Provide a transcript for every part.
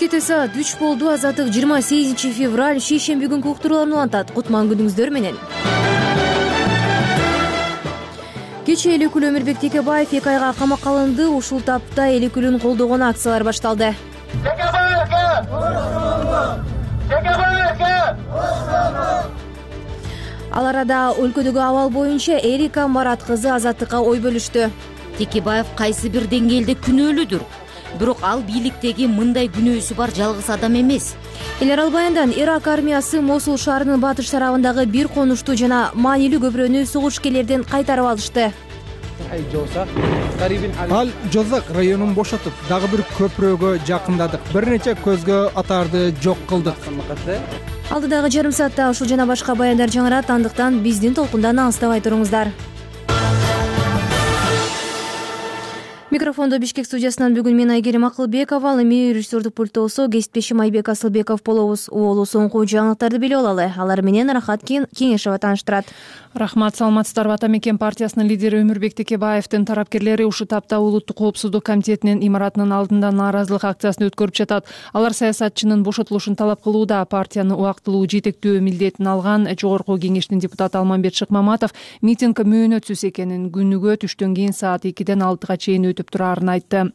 Бишкекте саат 3 болду. Азаттык 28 февраль шейшемби күнкү уктурууларны улантат. Кутман күнүңүздөр менен. Кечээ Элекүл Өмүрбек Текебаев 2 айга камакка алынды. Ушул тапта Элекүлүн колдогон акциялар башталды. Ал арада өлкөдөгү абал боюнча Эрика Марат кызы Азаттыкка ой бөлүштү. Текебаев кайсы бир деңгээлде күнөөлүүдүр. Бирок ал бийликтеги мындай күнөөсү бар жалгыз адам эмес. Эл арал баяндан Ирак армиясы Мосул шаарынын батыш тарабындагы бир конушту жана маанилүү көпүрөнү согушкерлерден кайтарып алышты. Ал Жозак районун бошотуп, дагы бир көпүрөгө жакындадык. Бир нече көзгө атарды жок кылдык. Алдыдагы жарым саатта ушул жана башка баяндар жаңырат, андыктан биздин толкундан алыстабай туруңуздар. Микрофондо Бишкек студиясынан бүгүн мен Айгерим Акылбекова, ал эми режиссердук пульттосу кесиптешим Айбек Асылбеков болобуз. Уолу соңку жаңылыктарды билип алалы. Алар менен Рахат Кеңешева тааныштырат. Рахмат, саламатсыздарбы. Ата мекен партиясынын лидери Өмүрбек Текебаевдин тарапкерлери ушул тапта Улуттук коопсуздук комитетинин имаратынын алдында нааразылык акциясын өткөрүп жатат. Алар саясатчынын бошотулушун талап кылууда. Партияны убактылуу жетектөө милдетин алган Жогорку Кеңештин депутаты Алмамбет Шыкмаматов митинг мөөнөтсүз экенин, күнүгө түштөн кийин саат 2ден 6га чейин өтүп турарын айтты.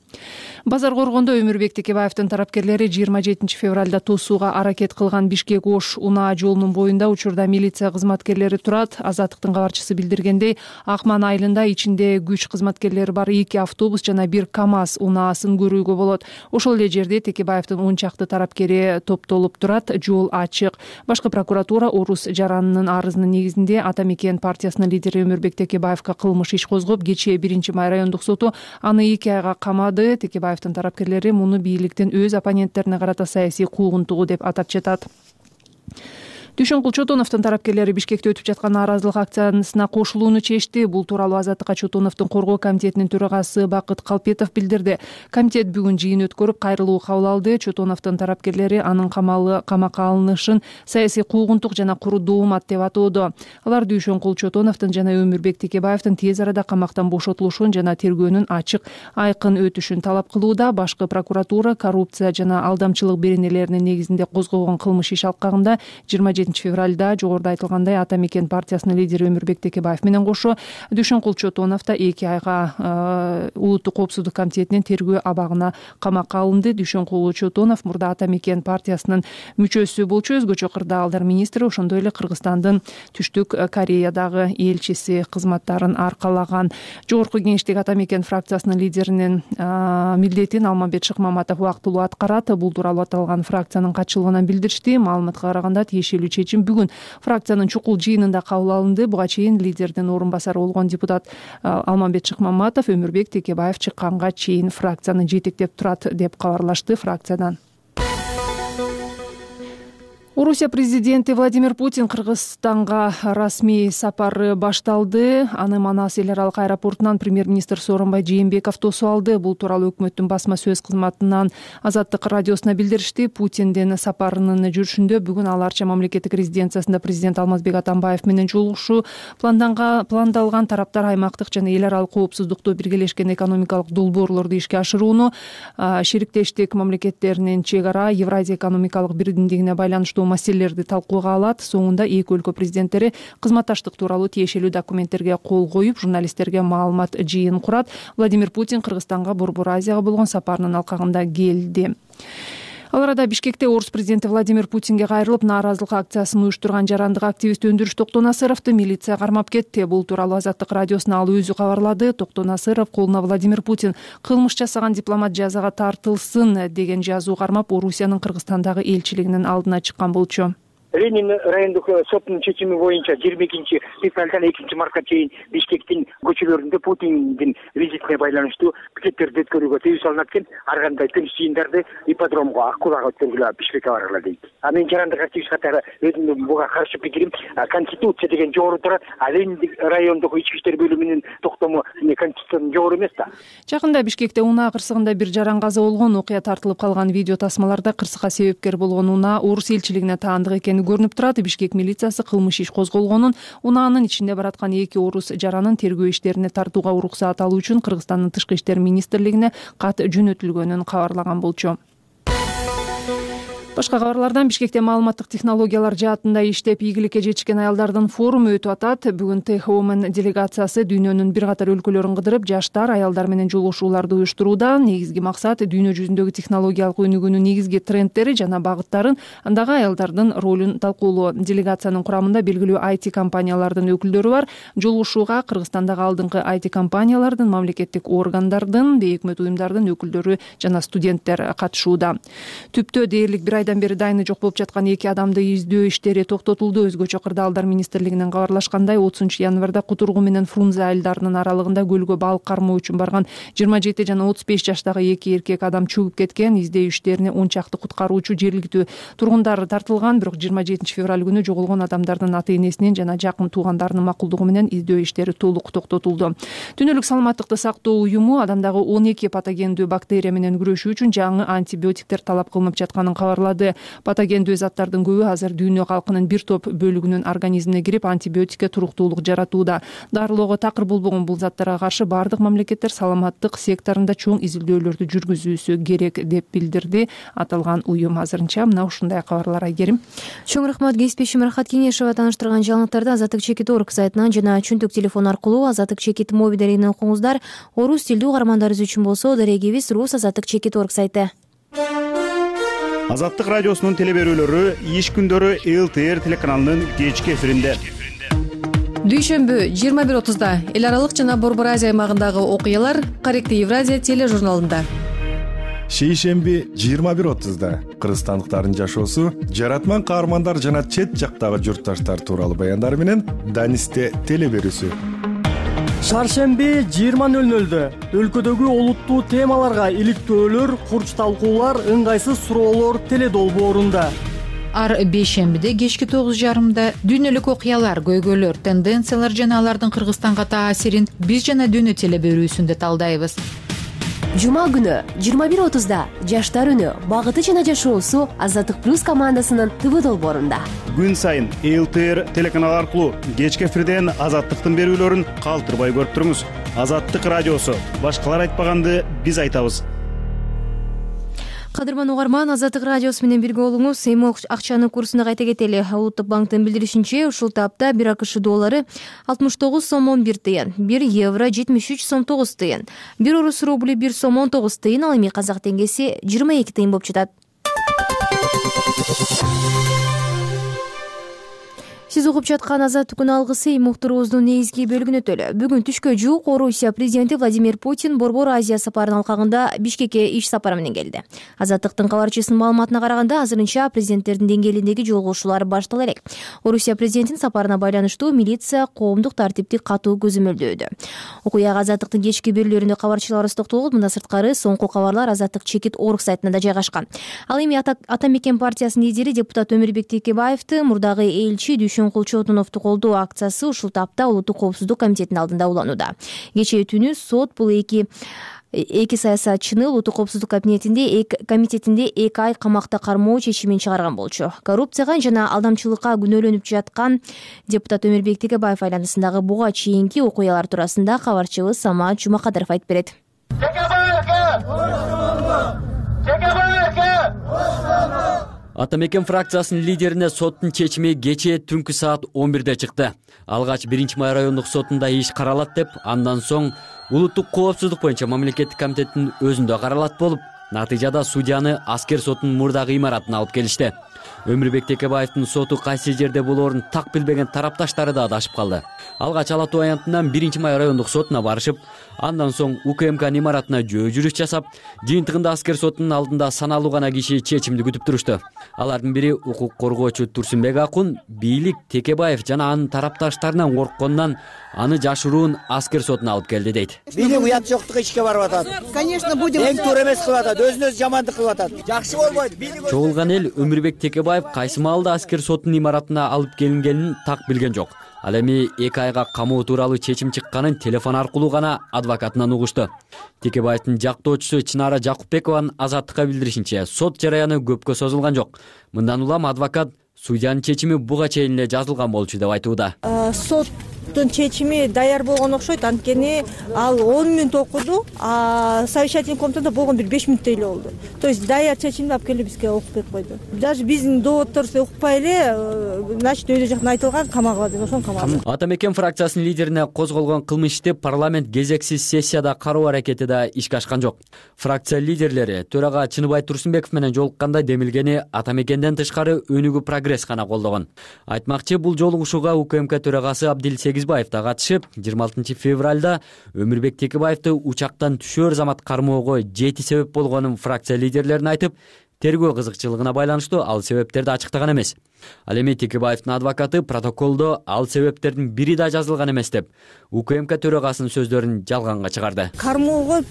Базар Коргондо Өмүрбек Текебаевдин тарапкерлери 27 февралда тосууга аракет кылган Бишкек-Ош унаа жолунун боюнда учурда милиция кызматкерлери турат. Азаттыктын кабарчысы билдиргендей, Акман айылында ичинде күч кызматкерлери бар 2 автобус жана 1 КАМАЗ унаасын көрүүгө болот. Ошол эле жерде Текебаевдин 10 чакты тарапкери топтолуп турат. Жол ачык. Башкы прокуратура Орус Жаранынын арызынын негизинде Ата мекен партиясынын лидери Өмүрбек Текебаевга кылмыш иш козгоп, кечээ 1-май райондук соту аны 2 айга камады. Текебаевдин тарапкерлери муну бийликтин өз оппоненттерине карата саясий куугунтугу деп атап жатат. Дүйшөнкул Чотоновдун тарапкерлери Бишкекте өтүп жаткан нааразылык акциясына кошулууну чечти. Бул тууралуу Азаттыкка Чотоновдун коргоо комитетинин төрагасы Бакыт Калпетов билдирди. Комитет бүгүн жыйын өткөрүп, кайрылуу кабыл алды. Чотоновдун тарапкерлери анын камакка алынышын саясий куугунтук жана куру доомат деп атоодо. Алар Дүйшөнкул Чотоновдун жана Өмүрбек Текебаевдин тез арада камактан бошотулушун жана тергөөнүн ачык, айкын өтүшүн талап кылууда. Башкы прокуратура коррупция жана алдамчылык беренелеринин негизинде козгогон кылмыш иш алкагында 27 февралда жогоруда айтылгандай Ата мекен партиясынын лидери Өмүрбек Текебаев менен кошо Дүйшөнкул Чотонов да 2 айга Улуттук коопсуздук комитетинин тергөө абагына камакка алынды. Дүйшөнкул Чотонов мурда Ата мекен партиясынын мүчөсү болчу, өзгөчө кырдаалдар министри, ошондой эле Кыргызстандын Түштүк Кореядагы элчиси кызматтарын аркалаган. Жогорку Кеңештеги Ата мекен фракциясынын лидеринин милдетин Алмамбет Шыкмаматов убактылуу аткарат. Бул тууралуу аталган фракциянын катчылыгынан билдиришти. Маалыматка караганда тиешелүү чечим бүгүн фракциянын чукул жыйынында кабыл алынды. Буга чейин лидердин орун басары болгон депутат Алмамбет Шыкмаматов Өмүрбек Текебаев чыкканга чейин фракцияны жетектеп турат деп кабарлашты фракциядан. Орусия президенти Владимир Путин Кыргызстанга расмий сапары башталды. Аны Манас эл аралык аэропортунан премьер-министр Сооронбай Жээнбеков тосуп алды. Бул тууралуу өкмөттүн басма сөз кызматынан Азаттык радиосуна билдиришти. Путиндин сапарынын жүрүшүндө бүгүн ал Арча мамлекеттик резиденциясында президент Алмазбек Атамбаев менен жолугушуу пландалган. Тараптар аймактык жана эл аралык коопсуздукту, биргелешкен экономикалык долбоорлорду ишке ашырууну, шериктештик мамлекеттеринин чек ара Евразия экономикалык бирдиктигине байланыштуу маселелерди талкууга алат. Соңунда эки өлкө президенттери кызматташтык тууралуу тиешелүү документтерге кол коюп, журналисттерге маалымат жыйын курат. Владимир Путин Кыргызстанга Борбор Азияга болгон сапарынын алкагында келди. Ал арада Бишкекте Орус президенти Владимир Путинге кайрылып, нааразылык акциясын уюштурган жарандык активист Өндүрүш Токтонасыровду милиция кармап кетти. Бул тууралуу Азаттык радиосуна ал өзү кабарлады. Токтонасыров колуна Владимир Путин кылмыш жасаган дипломат жазага тартылсын деген жазуу кармап, Орусиянын Кыргызстандагы элчилигинин алдына чыккан болчу. Ленин райондук соттун чечими боюнча 22 февралдан 2 мартка чейин Бишкектин көчөлөрүндө Путиндин визитине байланыштуу пикеттерди өткөрүүгө тыюу салынат экен. Ар кандай тынч жыйындарды ипподромго, Аккулага өткөргүлө Бишкекке баргыла дейт. Мен жарандык активист катары өзүмдүн буга каршы пикирим, конституция деген жогору турат, Ленин райондук ички иштер бөлүмүнүн токтому конституциядан жогору эмес да. Жакында Бишкекте унаа кырсыгында бир жаран каза болгон. Окуя тартылып калган видео тасмаларда кырсыкка себепкер болгон унаа Орус элчилигине таандык экени көрүнүп турат. Бишкек милициясы кылмыш иш козголгонун, унаанын ичинде бараткан 2 орус жаранын тергөө иштерине тартууга уруксаат алуу үчүн Кыргызстандын Тышкы иштер министрлигине кат жөнөтүлгөнүн кабарлаган болчу. Башка кабарлардан Бишкекте маалыматтык технологиялар жаатында иштеп ийгиликке жетишкен аялдардын форуму өтүп атат. Бүгүн Tech Women делегациясы дүйнөнүн бир катар өлкөлөрүн кыдырып, жаштар, аялдар менен жолугушууларды уюштурууда. Негизги максат дүйнө жүзүндөгү технологиялык өнүгүүнүн негизги трендтери жана багыттарын, андагы аялдардын ролун талкуулоо. Делегациянын курамында белгилүү IT компаниялардын өкүлдөрү бар. Жолугушууга Кыргызстандагы алдыңкы IT компаниялардын, мамлекеттик органдардын, бейөкмөт уюмдардын өкүлдөрү жана студенттер катышууда. Түптө дээрлик бир айдан бери дайыны жок болуп жаткан 2 адамды издөө иштери токтотулду. Өзгөчө Кырдаалдар министрлигинен кабарлашкандай, 30-январда Кутургу менен Фрунзе айылдарынын аралыгында көлгө балык кармоо үчүн барган 27 жана 35 жаштагы 2 эркек адам чөгүп кеткен. Издөө иштерине 10 чакты куткаруучу, жергиликтүү тургундар тартылган. Бирок 27 февраль күнү жоголгон адамдардын ата-энесинин жана жакын туугандарынын макулдугу менен издөө иштери толук токтотулду. Дүйнөлүк саламаттыкты сактоо уюму адамдагы 12 патогендүү бактерия менен күрөшүү үчүн жаңы антибиотиктер талап кылынып жатканын кабарлады. Патогендүү заттардын көбү азыр дүйнө калкынын бир топ бөлүгүнүн организмине кирип, антибиотикке туруктуулук жаратууда. Дарылоого такыр болбогон бул заттарга каршы бардык мамлекеттер саламаттык секторунда чоң изилдөөлөрдү жүргүзүүсү керек деп билдирди аталган уюм. Азырынча мына ушундай кабарлар. Айгерим. Чоң рахмат. Кесипбешим Рахат Кеңешова таныштырган жаңылыктарды Азаттык Чекит орг сайтынан жана чөнтөк телефон аркылуу Азаттык Чекит мобилдеринен окуңуздар. Орус тилдүү угармандарыбыз үчүн болсо дарегибиз Рус Азаттык Чекит орг сайты. Азаттык радиосунун телеберүүлөрү иш күндөрү ЛТР телеканалынын кечки эфиринде. Дүйшөмбү 21:30 эл аралык жана Борбор Азия аймагындагы окуялар Каректи Евразия тележурналында. Шейшемби 21:30 кыргызстандыктардын жашоосу, жаратман каармандар жана чет жактагы журтташтар тууралуу баяндар менен Данисте телеберүүсү. Шаршемби 20:00 өлкөдөгү олуттуу темаларга иликтөөлөр, курч талкуулар, ыңгайсыз суроолор теледолбоорунда. Ар бейшембиде кечки 9:30 дүйнөлүк окуялар, көйгөйлөр, тенденциялар жана алардын Кыргызстанга таасирин биз жана дүйнө телеберүүсүндө талдайбыз. Жума күнү 21:30 жаштар үнү, багыты жана жашоосу Азаттык плюс командасынын ТВ долбоорунда. Күн сайын ЛТР телеканалы аркылуу кечки эфирден Азаттыктын берүүлөрүн калтырбай көрүп туруңуз. Азаттык радиосу, башкалар айтпаганды биз айтабыз. Кадырман угарман, Азаттык радиосу менен бирге болуңуз. Эми акчанын курсуна кайта кетели. Улуттук банктын билдиришинче, ушул тапта 1 АКШ доллары 69 сом 11 тыйын, 1 евро 73 сом 9 тыйын, 1 орус рубли 1 сом 19 тыйын, ал эми казак теңгеси 22 тыйын болуп жатат. Сиз угуп жаткан Азаттык күн алгысы уктуруубуздун негизги бөлүгүнө өтөлү. Бүгүн түшкө жуук Орусия президенти Владимир Путин Борбор Азия сапарынын алкагында Бишкекке иш сапары менен келди. Азаттыктын кабарчысынын маалыматына караганда, азырынча президенттердин деңгээлиндеги жолугушуулар баштала элек. Орусия президентинин сапарына байланыштуу милиция коомдук тартипти катуу көзөмөлдөөдө. Окуяга Азаттыктын кечки берүүлөрүндө кабарчыларыбыз токтолуп, мындан сырткары соңку кабарлар Азаттык Чекит орг сайтына да жайгашкан. Ал эми Ата Мекен партиясынын лидери депутат Өмүрбек Текебаевди мурдагы элчи Кулчотуновду колдоо акциясы ушул тапта Улуттук коопсуздук комитетинин алдында уланууда. Кечээ түнү сот бул эки саясатчыны Улуттук коопсуздук комитетинде 2 ай камакта кармоо чечимин чыгарган болчу. Коррупцияга жана алдамчылыкка күнөөлөнүп жаткан депутат Өмүрбек Текебаев айланасындагы буга чейинки окуялар туурасында кабарчыбыз Самат Жумакадыров айтып берет. Ата Мекен фракциясынын лидерине соттун чечими кечээ түнкү саат 11-де чыкты. Алгач 1-май райондук сотунда иш каралат деп, андан соң Улуттук коопсуздук боюнча мамлекеттик комитеттин өзүндө каралат болуп, натыйжада судьяны аскер сотунун мурдагы имаратына алып келишти. Өмүрбек Текебаевдин соту кайсы жерде болоорун так билбеген тарапташтары да адашып калды. Алгач Ала Тоо аянтынан 1-май райондук сотуна барышып, андан соң УКМК имаратына жөө жүрүш жасап, жыйынтыгында аскер сотунун алдында саналуу гана киши чечимди күтүп турушту. Алардын бири укук коргоочу Турсунбек Акун, бийлик Текебаев жана анын тарапташтарынан коркконунан аны жашыруун аскер сотуна алып келди дейт. Бийлик уят жоктугу ишке барып атат. Конечно, будем. Эң туура эмес кылып атат, өзүнө жамандык кылып атат. Жакшы болбойт. Чогулган эл Өмүрбек Текебаев кайсы маалда аскер сотунун имаратына алып келингенин так билген жок. Ал эми 2 айга камоо тууралуу чечим чыкканын телефон аркылуу гана адвокатынан угушту. Текебаевдин жактоочусу Чынара Жакупбекованын Азаттыкка билдиришинче, сот жараяны көпкө созулган жок. Мындан улам адвокат судьянын чечими буга чейин эле жазылган болчу деп айтууда. Сот соттун чечими даяр болгон окшойт, анткени ал 10 мүнөт окуду, а совещательный комнатада болгон бир 5 мүнөттөй эле болду. То есть даяр чечимди алып келип бизге окуп берип койду. Даже биздин доводторубузду укпай эле, значит өйдө жактан айтылган камагыла деп ошону камаган. Ата мекен фракциясынын лидерине козголгон кылмыш ишти парламент кезексиз сессияда кароо аракети да ишке ашкан жок. Фракция лидерлери төрага Чыныбай Турсунбеков менен жолукканда демилгени ата мекенден тышкары өнүгүү прогресс гана колдогон. Айтмакчы, бул жолугушууга УКМК төрагасы Абдил Сегизбаев да катышып, 26 февралда Өмүрбек Текебаевди учактан түшөр замат кармоого 7 себеп болгонун фракция лидерлерине айтып, тергөө кызыкчылыгына байланыштуу ал себептерди ачыктаган эмес. Ал эми Текебаевдин адвокаты протоколдо ал себептердин бири да жазылган эмес деп УКМК төрагасынын сөздөрүн жалганга чыгарды. Кармоого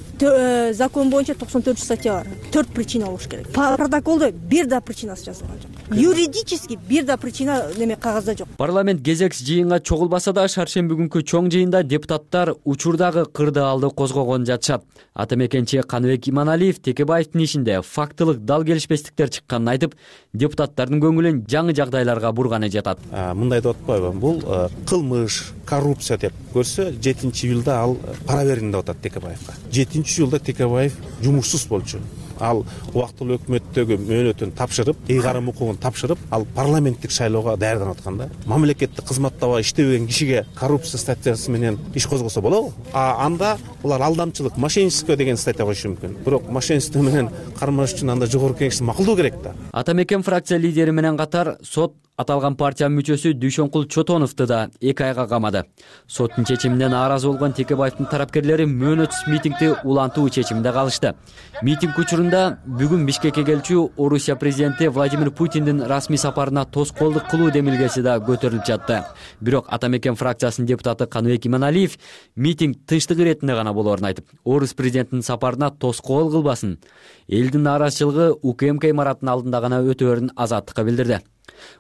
закон боюнча 94 статья бар. 4 причина болуш керек. Протоколдо бир да причинасы жазылган жок. Юридически бир да причина неме кагазда жок. Парламент кезекс жыйынга чогулбаса да шаршемби күнкү чоң жыйында депутаттар учурдагы кырдаалды козгогон жатышат. Ата мекенчи Каныбек Иманалиев Текебаевдин ишинде фактылык дал келишпестиктер чыкканын айтып, депутаттардын көңүлүн жаңы жагдайларга бурганы жатат. Мындай деп атпайбы, бул кылмыш, коррупция деп көрсө, 7-июлда ал пара бердим деп атат Текебаевга. 7-июлда Текебаев жумушсуз болчу. Ал убактылуу өкмөттөгү мөөнөтүн тапшырып, ыйгарым укугун тапшырып, ал парламенттик шайлоого даярданып атканда, мамлекеттик кызматтабай иштебеген кишиге коррупция статьясы менен иш козгосо болобу? Анда булар алдамчылык, мошенничество деген статья коюшу мүмкүн. Бирок мошенничество менен кармаш үчүн анда жогорку кеңештин макулдугу керек да. Ата мекен фракция лидери менен катар сот аталган партиянын мүчөсү Дүйшөнкул Чотоновду да 2 айга камады. Соттун чечимине нааразы болгон Текебаевдин тарапкерлери мөөнөтсүз митингди улантуу чечиминде калышты. Митинг учурунда бүгүн Бишкекке келчү Орусия президенти Владимир Путиндин расмий сапарына тоскоолдук кылуу демилгеси да көтөрүлүп жатты. Бирок Ата мекен фракциясынын депутаты Каныбек Иманалиев митинг тынчтык иретинде гана болоорун айтып, Орус президентинин сапарына тоскоол кылбасын, элдин нааразычылыгы УКМК имаратынын алдында гана өтөөрүн азаттыкка билдирди.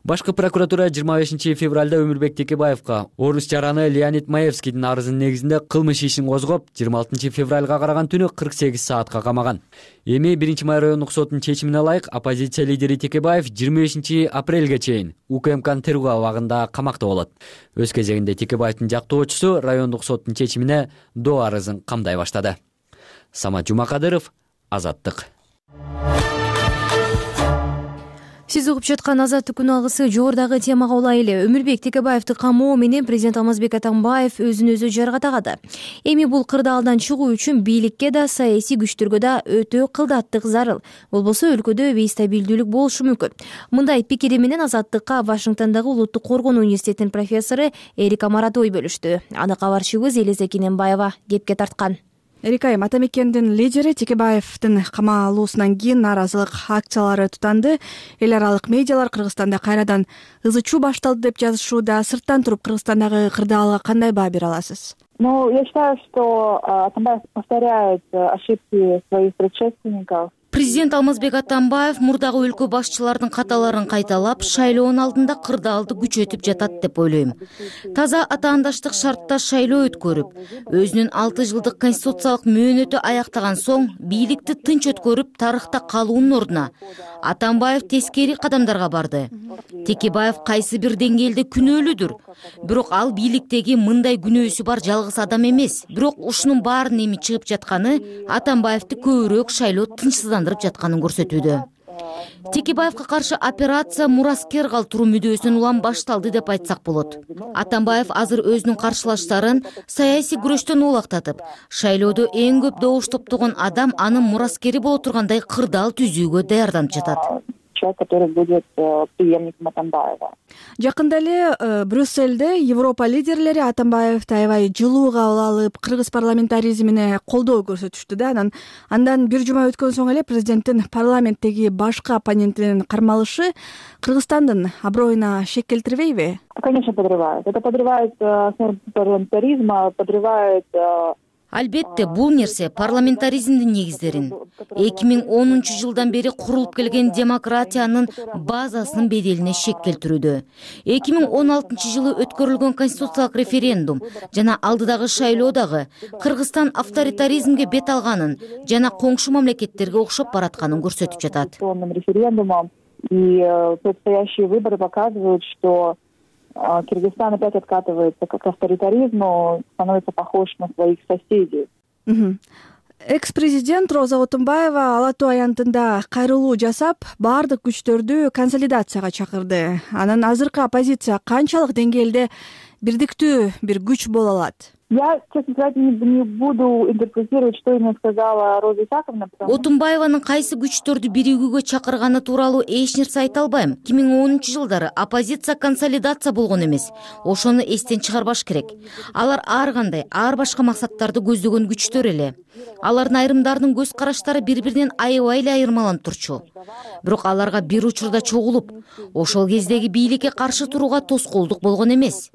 Башкы прокуратура 25 февралда Өмүрбек Текебаевга Орус жараны Леонид Маевскийдин арызынын негизинде кылмыш ишин козгоп, 26 февралга караган түнү 48 саатка камаган. Эми 1-май райондук соттун чечимине ылайык оппозиция лидери Текебаев 25 апрелге чейин УКМКнын тергөө абагында камакта болот. Өз кезегинде Текебаевдин жактоочусу райондук соттун чечимине доо арызын камдай баштады. Самат Жумакадыров, Азаттык. Сиз угуп жаткан Азаттык күн алгысы жогорудагы темага улай эле Өмүрбек Текебаевди камоо менен президент Алмазбек Атамбаев өзүн өзү жаргатагады. Эми бул кырдаалдан чыгуу үчүн бийликке да, саясий күчтөргө да өтө кылдаттык зарыл. Болбосо өлкөдө бейстабилдүүлүк болушу мүмкүн. Мындай пикири менен Азаттыкка Вашингтондогу Улуттук коргонуу университетинин профессору Эрик Амарат ой бөлүштү. Аны кабарчыбыз Элиза Кененбаева кепке тарткан. Эрик айым, Ата мекендин лидери Текебаевдин камалуусунан кийин нааразылык акциялары тутанды. Эл аралык медиалар Кыргызстанда кайрадан ызычуу башталды деп жазышууда. Сырттан туруп Кыргызстандагы кырдаалга кандай баа бере аласыз? Я считаю, что Атамбаев повторяет ошибки своих предшественников. Президент Алмазбек Атамбаев мурдагы өлкө башчылардын каталарын кайталап, шайлоонун алдында кырдаалды күчөтүп жатат деп ойлойм. Таза атаандаштык шартта шайлоо өткөрүп, өзүнүн 6 жылдык конституциялык мөөнөтү аяктаган соң бийликти тынч өткөрүп, тарыхта калуунун ордуна Атамбаев тескери кадамдарга барды. Текебаев кайсы бир деңгээлде күнөөлүүдүр. Бирок ал бийликтеги мындай күнөөсү бар жалгыз адам эмес. Бирок ушунун баарынын эми чыгып жатканы Атамбаевди көбүрөөк шайлоо тынчсыздандырып жатканын көрсөтүүдө. Текебаевга каршы операция мураскер калтыруу мүдөөсүнөн улам башталды деп айтсак болот. Атамбаев азыр өзүнүн каршылаштарын саясий күрөштөн оолактатып, шайлоодо эң көп добуш топтогон адам анын мураскери боло тургандай кырдаал түзүүгө даярданып жатат. Человек, который будет преемником Атамбаева. Жакында эле Брюссельде Европа лидерлери Атамбаевди аябай жылуу кабыл алып, кыргыз парламентаризмине колдоо көрсөтүштү да. Андан бир жума өткөн соң эле президенттин парламенттеги башкы оппонентинин кармалышы Кыргызстандын аброюна шек келтирбейби? Конечно, подрывает. Это подрывает основу парламентаризма, подрывает. Албетте, бул нерсе парламентаризмдин негиздерин, 2010 жылдан бери курулуп келген демократиянын базасынын беделине шек келтирүүдө. 2016 жылы өткөрүлгөн конституциялык референдум жана алдыдагы шайлоо дагы Кыргызстан авторитаризмге бет алганын жана коңшу мамлекеттерге окшоп баратканын көрсөтүп жатат. Референдумом и предстоящие выборы показывают, что Кыргызстан опять откатывается к авторитаризму, становится похож на своих соседей. Экс-президент Роза Отунбаева Ала Тоо аянтында кайрылуу жасап, баардык күчтөрдү консолидацияга чакырды. Анан азыркы оппозиция канчалык деңгээлде бирдиктүү бир күч боло алат? Я, честно сказать, не буду интерпретировать, что именно сказала Роза Исаковна. Отунбаеванын кайсы күчтөрдү биригүүгө чакырганы тууралуу эч нерсе айта албайм. 2010-жылдары оппозиция консолидация болгон эмес. Ошону эстен чыгарбаш керек. Алар ар кандай, ар башка максаттарды көздөгөн күчтөр эле. Алардын айрымдарынын көз караштары бири-биринен аябай эле айырмаланып турчу. Бирок аларга бир учурда чогулуп, ошол кездеги бийликке каршы турууга тоскоолдук болгон эмес.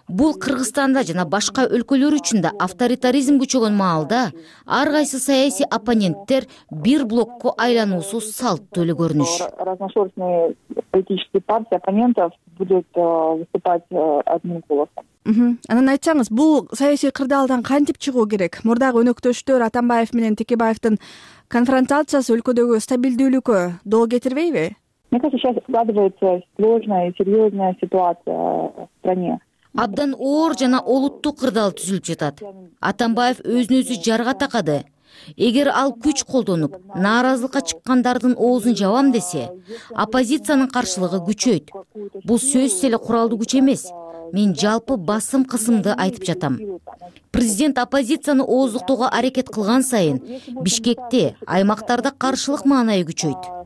Бул Кыргызстанда жана башка өлкөлөр үчүн да авторитаризм күчөгөн маалда ар кайсы саясий оппоненттер бир блокко айлануусу салттуу эле көрүнүш. Разношерстные политические партии оппонентов будут выступать одним голосом. Анан айтсаңыз, бул саясий кырдаалдан кантип чыгуу керек? Мурдагы өнөктөштөр Атамбаев менен Текебаевдин конфронтациясы өлкөдөгү стабилдүүлүккө доо кетирбейби? Мне кажется, сейчас складывается сложная и серьезная ситуация в стране. Абдан оор жана олуттуу кырдаал түзүлүп жатат. Атамбаев өзүн өзү жарга такады. Эгер ал күч колдонуп, нааразылыкка чыккандардын оозун жабам десе, оппозициянын каршылыгы күчөйт. Бул сөзсүз эле куралдуу күч эмес. Мен жалпы басым кысымды айтып жатам. Президент оппозицияны ооздуктоого аракет кылган сайын Бишкекте, аймактарда каршылык маанайы күчөйт.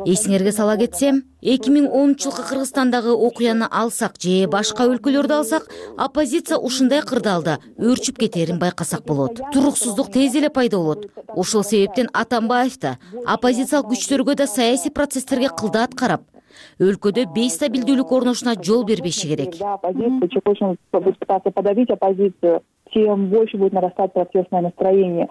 Эсиңерге сала кетсем, 2010-жылкы Кыргызстандагы окуяны алсак же башка өлкөлөрдү алсак, оппозиция ушундай кырдаалда өөрчүп кетерин байкасак болот. Туруксуздук тез эле пайда болот. Ошол себептен Атамбаев да оппозициялык күчтөргө да саясий процесстерге кылдаат карап, өлкөдө бейстабилдүүлүк орношуна жол бербеши керек. Очень будет пытаться подавить оппозицию, тем больше будет нарастать протестное настроение.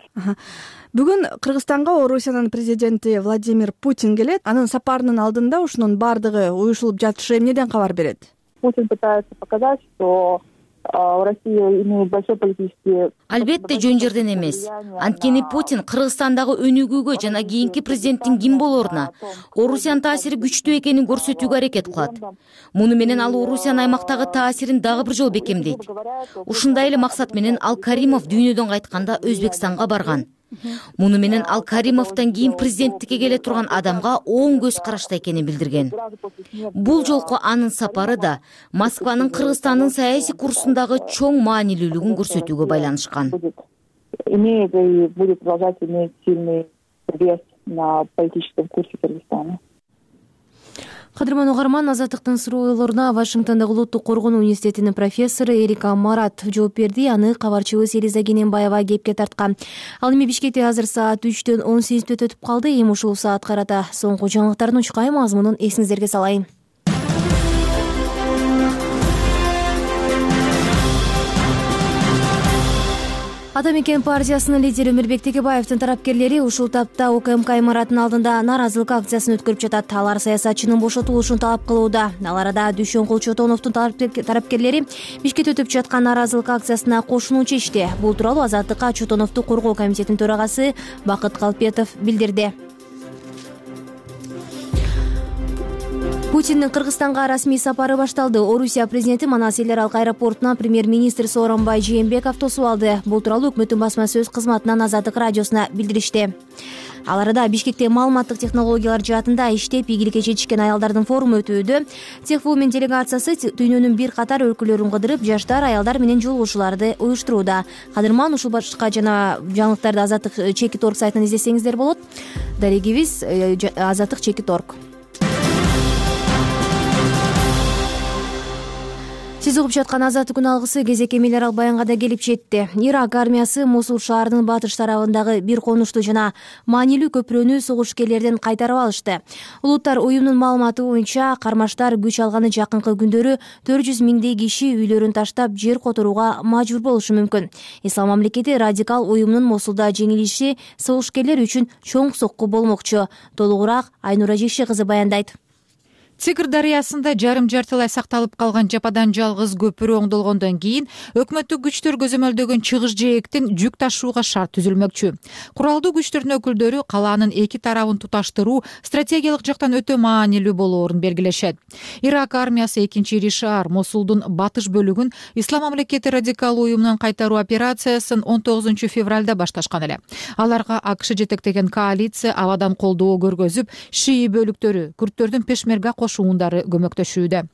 Бүгүн Кыргызстанга Орусиянын президенти Владимир Путин келет. Анын сапарынын алдында ушунун бардыгы уюшулуп жатышы эмнеден кабар берет? Путин пытается показать, что Россия имеет большой политический... Албетте жөн жерден эмес. Анткени Путин Кыргызстандагы өнүгүүгө жана кийинки президенттин ким болоруна Орусиянын таасири күчтүү экенин көрсөтүүгө аракет кылат. Муну менен ал Орусиянын аймактагы таасирин дагы бир жолу бекемдейт. Ушундай эле максат менен Ал Каримов дүйнөдөн кайтканда Өзбекстанга барган. Муну менен Ал Каримовдон кийин президенттикке келе турган адамга оң көз карашта экенин билдирген. Бул жолку анын сапары да Москванын Кыргызстандын саясий курсундагы чоң маанилүүлүгүн көрсөтүүгө байланышкан. Имеет и будет продолжать иметь сильный вес на политическом курсе Кыргызстана. Кадырман угарман, Азаттыктын суроолоруна Вашингтондогу Улуттук коргонуу университетинин профессору Эрика Марат жооп берди. Аны кабарчыбыз Элиза Кененбаева кепке тарткан. Ал эми Бишкекте азыр саат 3-төн 18 өтүп калды. Эми ушул саат карата соңку жаңылыктардын учкай мазмунун эсиңиздерге салайын. Ата мекен партиясынын лидери Өмүрбек Текебаевдин тарапкерлери ушул тапта УКМК имаратынын алдында нааразылык акциясын өткөрүп жатат. Алар саясатчынын бошотулушун талап кылууда. Ал арада Дүйшөнкул Чотоновдун тарапкерлери Бишкекте өтүп жаткан нааразылык акциясына кошулууну чечти. Бул тууралуу Азаттыкка Чотоновду коргоо комитетинин төрагасы Бакыт Калпетов билдирди. Путиндин Кыргызстанга расмий сапары башталды. Орусия президенти Манас эл аралык аэропортунан премьер-министр Сооронбай Жээнбеков тосуп алды. Бул тууралуу өкмөттүн басма сөз кызматынан Азаттык радиосуна билдиришти. Ал арада Бишкекте маалыматтык технологиялар жаатында иштеп ийгиликке жетишкен аялдардын форуму өтүүдө. Техвумен делегациясы дүйнөнүн бир катар өлкөлөрүн кыдырып, жаштар, аялдар менен жолугушууларды уюштурууда. Кадырман, ушул башка жана жаңылыктарды Азаттык Чекит.орг сайтынан издесеңиздер болот. Дарегибиз Азаттык Чекит.орг. Сиз угуп жаткан Азаттык күн алгысы кезек эмел арал баянга да келип жетти. Ирак армиясы Мосул шаарынын батыш тарабындагы бир конушту жана маанилүү көпүрөнү согушкерлерден кайтарып алышты. Улуттар уюмунун маалыматы боюнча кармаштар күч алганы жакынкы күндөрү 400 миңдей киши үйлөрүн таштап жер которууга мажбур болушу мүмкүн. Ислам мамлекети радикал уюмунун Мосулда жеңилиши согушкерлер үчүн чоң сокку болмокчу. Толугураак Айнура Жекше кызы баяндайт. Тигр дарыясында жарым жартылай сакталып калган жападан жалгыз көпүрө оңдолгондон кийин өкмөттүк күчтөр көзөмөлдөгөн чыгыш жээктен жүк ташууга шарт түзүлмөкчү. Куралдуу күчтөрдүн өкүлдөрү калаанын эки тарабын туташтыруу стратегиялык жактан өтө маанилүү болоорун белгилешет. Ирак армиясы 2-Ришаар Мосулдун батыш бөлүгүн Ислам мамлекети радикал уюмунун кайтаруу операциясын 19 февралда башташкан эле. Аларга АКШ жетектеген коалиция абадан колдоо көргөзүп, шии бөлүктөрү, күрттөрдүн пешмерга кошуундары көмөктөшүүдө.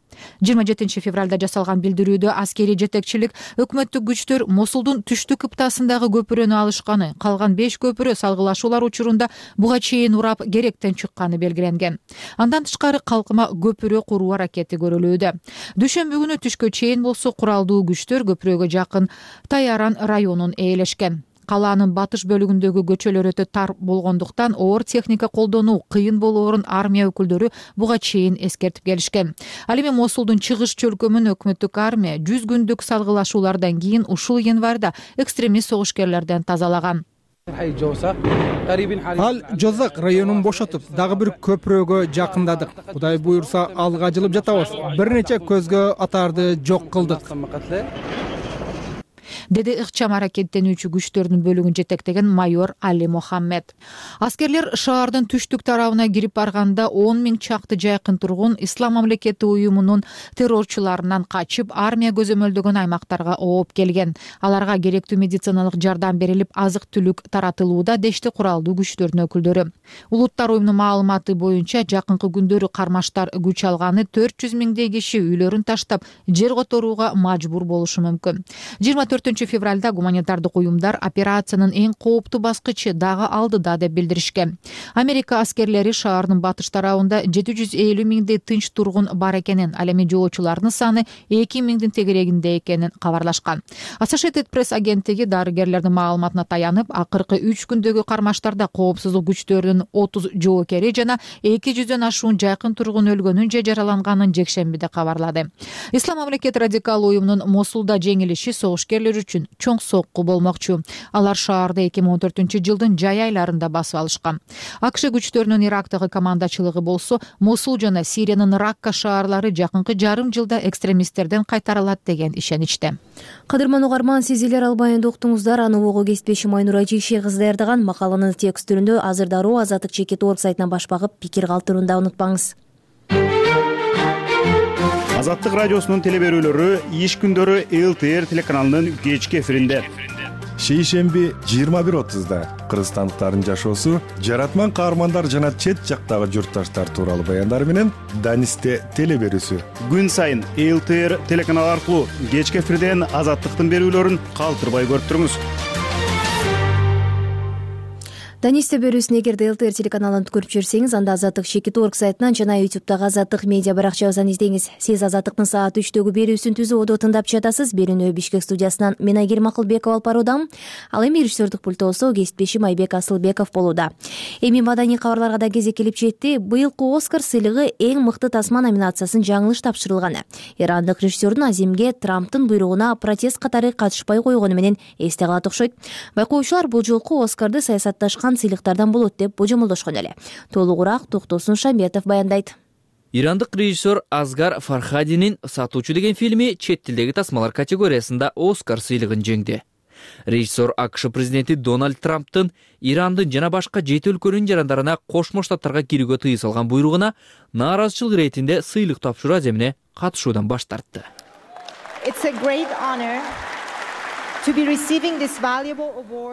27 февралда жасалган билдирүүдө аскерий жетекчилик өкмөттүк күчтөр Мосулдун түштүк кыптасындагы көпүрөнү алышканы, калган 5 көпүрө салгылашуулар учурунда буга чейин урап керектен чыкканы белгиленген. Андан тышкары калкыма көпүрө куруу аракети көрүлүүдө. Дүйшөмбү күнү түшкө чейин болсо куралдуу күчтөр көпүрөгө жакын Тайаран районун ээлешкен. Калаанын батыш бөлүгүндөгү көчөлөр өтө тар болгондуктан оор техника колдонуу кыйын болоорун армия өкүлдөрү буга чейин эскертип келишкен. Ал эми Мосулдун чыгыш чөлкөмүн өкмөттүк армия 100 күндүк салгылашуулардан кийин ушул январда экстремист согушкерлерден тазалаган. Ал Жозак районун бошотуп, дагы бир көпүрөгө жакындадык. Кудай буйрса алга жылып жатабыз. Бир нече көзгө атарды жок кылдык, деди ыкчам аракеттенүүчү күчтөрдүн бөлүгүн жетектеген майор Али Мохаммед. Аскерлер шаардын түштүк тарабына кирип барганда 10 000 чакты жайкын тургун Ислам мамлекети уюмунун террорчуларынан качып, армия көзөмөлдөгөн аймактарга ооп келген. Аларга керектүү медициналык жардам берилип, азык-түлүк таратылууда, дешти куралдуу күчтөрдүн өкүлдөрү. Улуттар уюмунун маалыматы боюнча жакынкы күндөрү кармаштар күч алганы 400 000 киши үйлөрүн таштап, жер которууга мажбур болушу мүмкүн. 24 февралда гуманитардык уюмдар операциянын эң кооптуу баскычы дагы алдыда деп билдиришкен. Америка аскерлери шаардын батыш тарабында 750 000 тынч тургун бар экенин, ал эми жоочулардын саны 2 000 тегерегинде экенин кабарлашкан. Associated Press агенттиги дарыгерлердин маалыматына таянып, акыркы 3 күндөгү кармаштарда коопсуздук күчтөрүнүн 30 жоокери жана 200дөн ашуун жайкын тургун өлгөнүн же жараланганын жекшембиде кабарлады. Ислам мамлекети радикал уюмунун Мосулда жеңилиши согушкерлер үчүн чоң сокку болмокчу. Алар шаарды 2014 жылдын жай айларында басып алышкан. АКШ күчтөрүнүн Ирактагы командачылыгы болсо, Мосул жана Сириянын Ракка шаарлары жакынкы жарым жылда экстремисттерден кайтарылат деген ишеничте. Кадырман угарман, сиз элер албайында уктуңуздар. Аны ого кесипдешим Айнура Жейши кызы даярдаган макаланын текст түрүндө азыр дароо Азаттык Чекит.org сайтынан баш багып, пикир калтырууну унутпаңыз. Азаттык радиосунун телеберүүлөрү иш күндөрү ЛТР телеканалынын кечки эфиринде. Шейшемби 21:30 кыргызстандыктардын жашоосу, жаратман каармандар жана чет жактагы журтташтар тууралуу баяндар менен Данисте телеберүүсү. Күн сайын ЛТР телеканалы аркылуу кечки эфирден Азаттыктын берүүлөрүн калтырбай көрүп туруңуз. Данисте берүүсүн эгерде ЛТР телеканалын көрүп жүрсеңиз, анда Азаттык Чекит.org сайтынан жана YouTube'дагы Азаттык медиа баракчабыздан издеңиз. Сиз Азаттыктын саат 3-төгү берүүсүн түзүүдө тыңдап жатасыз. Берүүнү Бишкек студиясынан мен Айгерим Акылбекова алып баруудамын. Ал эми режиссердик пультосу кесипдешим Айбек Асылбеков болууда. Эми маданий кабарларга да кезек келип жетти. Быйылкы Оскар сыйлыгы эң мыкты тасма номинациясын жаңылыш тапшырылганы. Ирандык режиссердун Азимге Трамптын буйругуна протест катары катышпай койгону менен эсте калат окшойт. Байкоочулар бул жолку Оскарды саясатташкан сыйлыктардан болот деп божомолдошкон эле. Толугураак Токтосун Шамбетов баяндайт. Ирандык режиссер Азгар Фархадинин «Сатуучу» деген фильми чет тилдеги тасмалар категориясында Оскар сыйлыгын жеңди. Режиссер АКШ президенти Дональд Трамптын Ирандын жана башка 7 өлкөнүн жарандарына Кошмо Штаттарга кирүүгө тыюу салган буйругуна нааразычылык иретинде сыйлык тапшыруу аземине катышуудан баш тартты.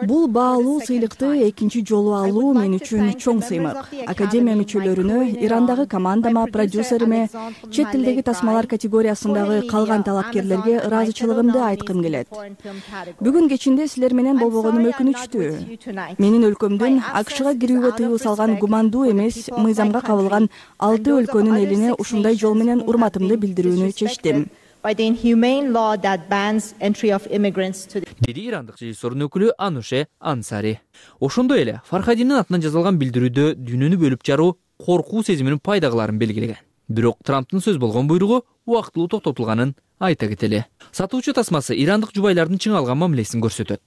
Бул баалуу сыйлыкты экинчи жолу алуу мен үчүн чоң сыймык. Академия мүчөлөрүнө, Ирандагы командама, продюсериме, чет тилдеги тасмалар категориясындагы калган талапкерлерге ыраазычылыгымды айткым келет. Бүгүн кечинде силер менен болбогонум өкүнүчтүү. Менин өлкөмдүн АКШга кирүүгө тыюу салган гумандуу эмес мыйзамга кабылган 6 өлкөнүн элине ушундай жол менен урматымды билдирүүнү чечтим. Деди ирандык режиссердун өкүлү Ануше Ансари. Ошондой эле Фархадиндин атынан жазылган билдирүүдө дүйнөнү бөлүп жаруу коркуу сезиминин пайдагыларын белгилеген. Бирок Трамптын сөз болгон буйругу убактылуу токтотулганын айта кетели. Сатуучу тасмасы ирандык жубайлардын чыңалган мамилесин көрсөтөт.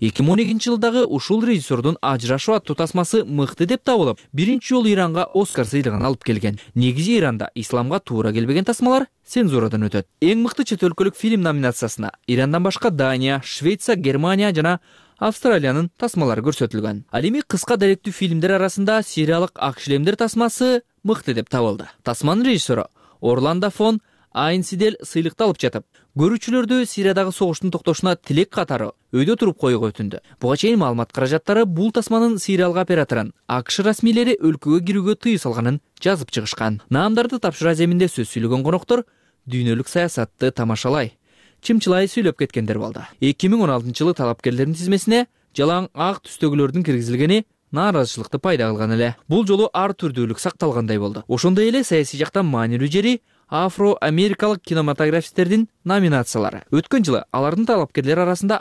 2012-жылдагы ушул режиссердун Ажырашуу аттуу тасмасы мыкты деп табылып, биринчи жолу Иранга Оскар сыйлыгын алып келген. Негизи Иранда исламга туура келбеген тасмалар цензурадан өтөт. Эң мыкты чет өлкөлүк фильм номинациясына Ирандан башка Дания, Швеция, Германия жана Австралиянын тасмалары көрсөтүлгөн. Ал эми кыска даректүү фильмдер арасында сириялык Ак шлемдер тасмасы мыкты деп табылды. Тасманын режиссеру Орландо фон Айнсидель сыйлыкты алып жатып, көрүүчүлөрдү Сириядагы согуштун токтошуна тилек катары өйдө туруп коюуга өтүндү. Буга чейин маалымат каражаттары бул тасманын сириялык операторун АКШ расмийлери өлкөгө кирүүгө тыюу салганын жазып чыгышкан. Наамдарды тапшыруу аземинде сөз сүйлөгөн коноктор дүйнөлүк саясатты тамашалай, чымчылай сүйлөп кеткендер болду. 2016-жылы талапкерлердин тизмесине жалаң ак түстөгүлөрдүн киргизилгени нааразычылыкты пайда кылган эле. Бул жолу ар түрдүүлүк сакталгандай болду. Ошондой эле саясий жактан маанилүү жери афро-америкалык кинематографисттердин номинациялары. Өткөн жылы алардын талапкерлер арасында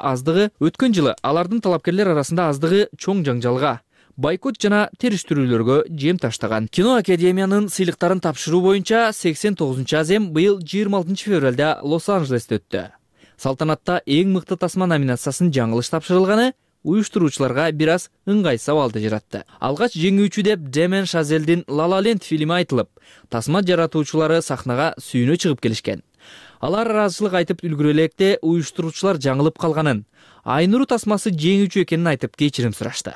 аздыгы чоң жаңжалга, бойкот жана териштирүүлөргө жем таштаган. Кино академиянын сыйлыктарын тапшыруу боюнча 89-азем быйыл 26 февралда Лос-Анджелесте өттү. Салтанатта эң мыкты тасма номинациясын жаңылыш тапшырылганы уюштуруучуларга бир аз ыңгайсыз абалды жаратты. Алгач жеңүүчү деп Демен Шазелдин La La Land фильми айтылып, тасма жаратуучулары сахнага сүйүнө чыгып келишкен. Алар ыраазычылык айтып үлгүрө электе уюштуруучулар жаңылып калганын, Айнуру тасмасы жеңүүчү экенин айтып кечирим сурашты.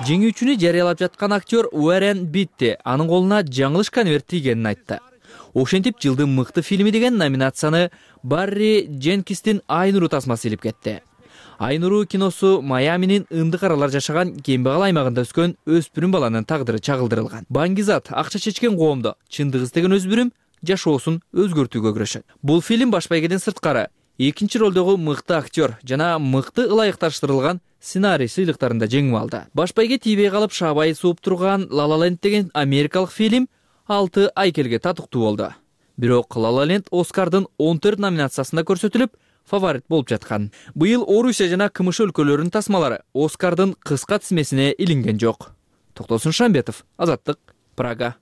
Жеңүүчүнү жарыялап жаткан актер Уоррен Битти анын колуна жаңылыш конверт тийгенин айтты. Ошентип жылдын мыкты фильми деген номинацияны Барри Дженкинстин Айнуру тасмасы илип кетти. Айнуру киносу Майаминин ындык аралар жашаган кембагал аймагында өскөн өспүрүм баланын тагдыры чагылдырылган. Баңгизат акча чечкен коомдо чындык издеген өспүрүм жашоосун өзгөртүүгө күрөшөт. Бул фильм баш байгеден сырткары экинчи ролдогу мыкты актер жана мыкты ылайыкташтырылган сценарий сыйлыктарында жеңип алды. Баш байге тийбей калып шабайы сууп турган La La Land деген америкалык фильм 6 айкелге татыктуу болду. Бирок La La Land Оскардын 14 номинациясында көрсөтүлүп, фаворит болуп жаткан. Быйыл Орусия жана КМШ өлкөлөрүнүн тасмалары Оскардын кыска тизмесине илинген жок. Токтосун Шамбетов, Азаттык, Прага.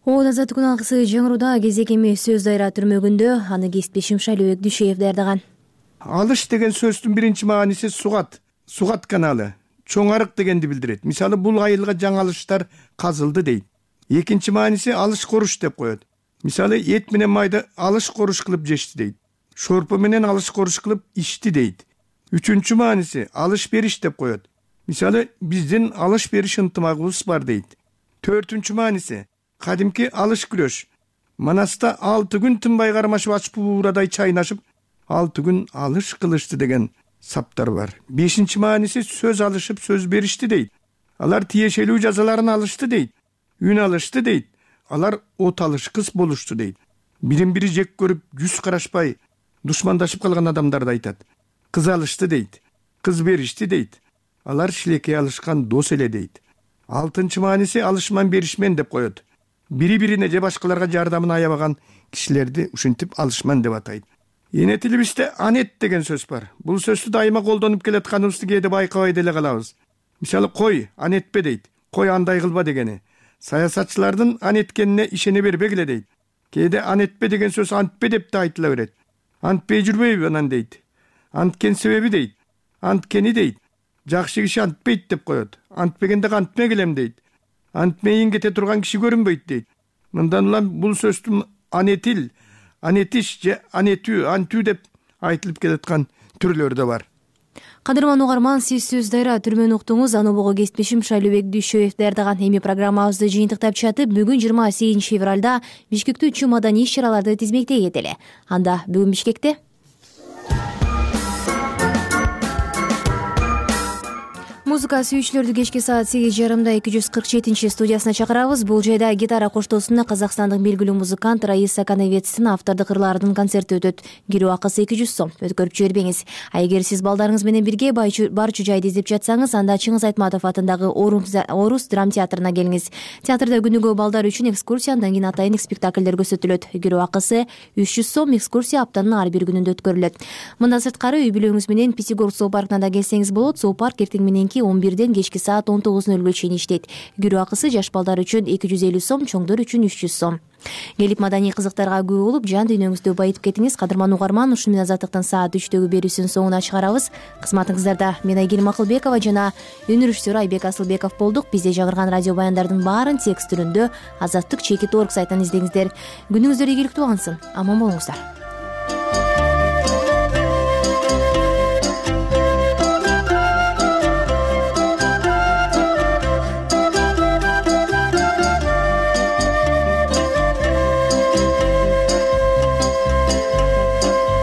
Азаттык күн алгысы жаңыруда кезек эми сөз дайра түрмөгүндө аны кесиптешим Шайлообек Дүйшөев даярдаган. Алыш деген сөздүн биринчи мааниси сугат каналы, чоң арык дегенди билдирет. Мисалы бул айылга жаңы алыштар казылды дейт. Экинчи мааниси алыш коруш деп коет. Мисалы эт менен майды алыш коруш кылып жешти дейт. Шорпо менен алыш коруш кылып ичти дейт. Үчүнчү мааниси алыш бериш деп коет. Мисалы биздин алыш бериш ынтымагыбыз бар дейт. Төртүнчү мааниси кадимки алыш күрөш. Манаста 6 күн тынбай кармашып ачып буурадай чайнашып 6 күн алыш кылышты деген саптар бар. Бешинчи мааниси сөз алышып сөз беришти дейт. Алар тиешелүү жазаларын алышты дейт. Үн алышты дейт. Алар от алышкыс болушту дейт. Бирин-бири жек көрүп, жүз карашпай, душмандашып калган адамдарды айтат. Кыз алышты дейт. Кыз беришти дейт. Алар шилекей алышкан дос эле дейт. Алтынчы мааниси алышман беришмен деп коет. Бири-бирине же башкаларга жардамын аябаган кишилерди ушинтип алышман деп атайт. Эне тилибизде анет деген сөз бар. Бул сөздү дайыма колдонуп келатканыбызды кээде байкабай деле калабыз. Мисалы кой анетпе дейт. Кой андай кылба дегени. Саясатчылардын анеткенине ишене бербегиле дейт. Кээде анетпе деген сөз антпе деп да айтыла берет. Антпей жүрбөйбү анан дейт. Анткен себеби дейт. Анткени дейт. Жакшы киши антпейт деп коет. Антпегенде антме келем дейт. Антмейин кете турган киши көрүнбөйт дейт. Мындан улам бул сөздүн анетил, анетиш же анетүү, антүү деп айтылып келаткан түрлөрү да бар. Кадырман угарман, сиз сөз дайра түрмөнү уктуңуз. Аны бого кесиптешим Шайлообек Дүйшөев даярдаган. Эми программабызды жыйынтыктап чатып, бүгүн 28 февралда Бишкекте 3 маданий иш-чараларды тизмектей кетели. Анда бүгүн Бишкекте музыка сүйүүчүлөрдү кечки саат 8:30 247 студиясына чакырабыз. Бул жайда гитара коштоосунда казакстандык белгилүү музыкант Раиса Канавецтин автордук ырларынын концерти өтөт. Кирүү акысы 200 сом. Өткөрүп жибербеңиз. Эгер сиз балдарыңыз менен бирге барчу жайды издеп жатсаңыз, анда Чыңгыз Айтматов атындагы Орус драм театрына келиңиз. Театрда күнүгө балдар үчүн экскурсия, андан кийин атайын спектакльдер көрсөтүлөт. Кирүү акысы 300 сом. Экскурсия аптанын ар бир күнүндө өткөрүлөт. Мындан сырткары үй бүлөңүз менен Пятигорск зоопаркына да келсеңиз болот. Зоопарк эртең мененки 11ден кечки саат 19:00 чейин иштейт. Кирүү акысы жаш балдар үчүн 250 сом, чоңдор үчүн 300 сом. Келип маданий кызыктарга күбө болуп, жан дүйнөңүздү байытып кетиңиз. Кадырман угарман, ушуну менен Азаттыктын саат 3дөгү берүүсүнүн соңуна чыгарабыз. Кызматыңыздарда мен Айгерим Акылбекова жана өнөр режиссеру Айбек Асылбеков болдук. Бизде жаңырган радио баяндардын баарын текст түрүндө Азаттык.org сайтынан издеңиздер. Күнүңүздөр ийгиликтүү болсун. Аман болуңуздар.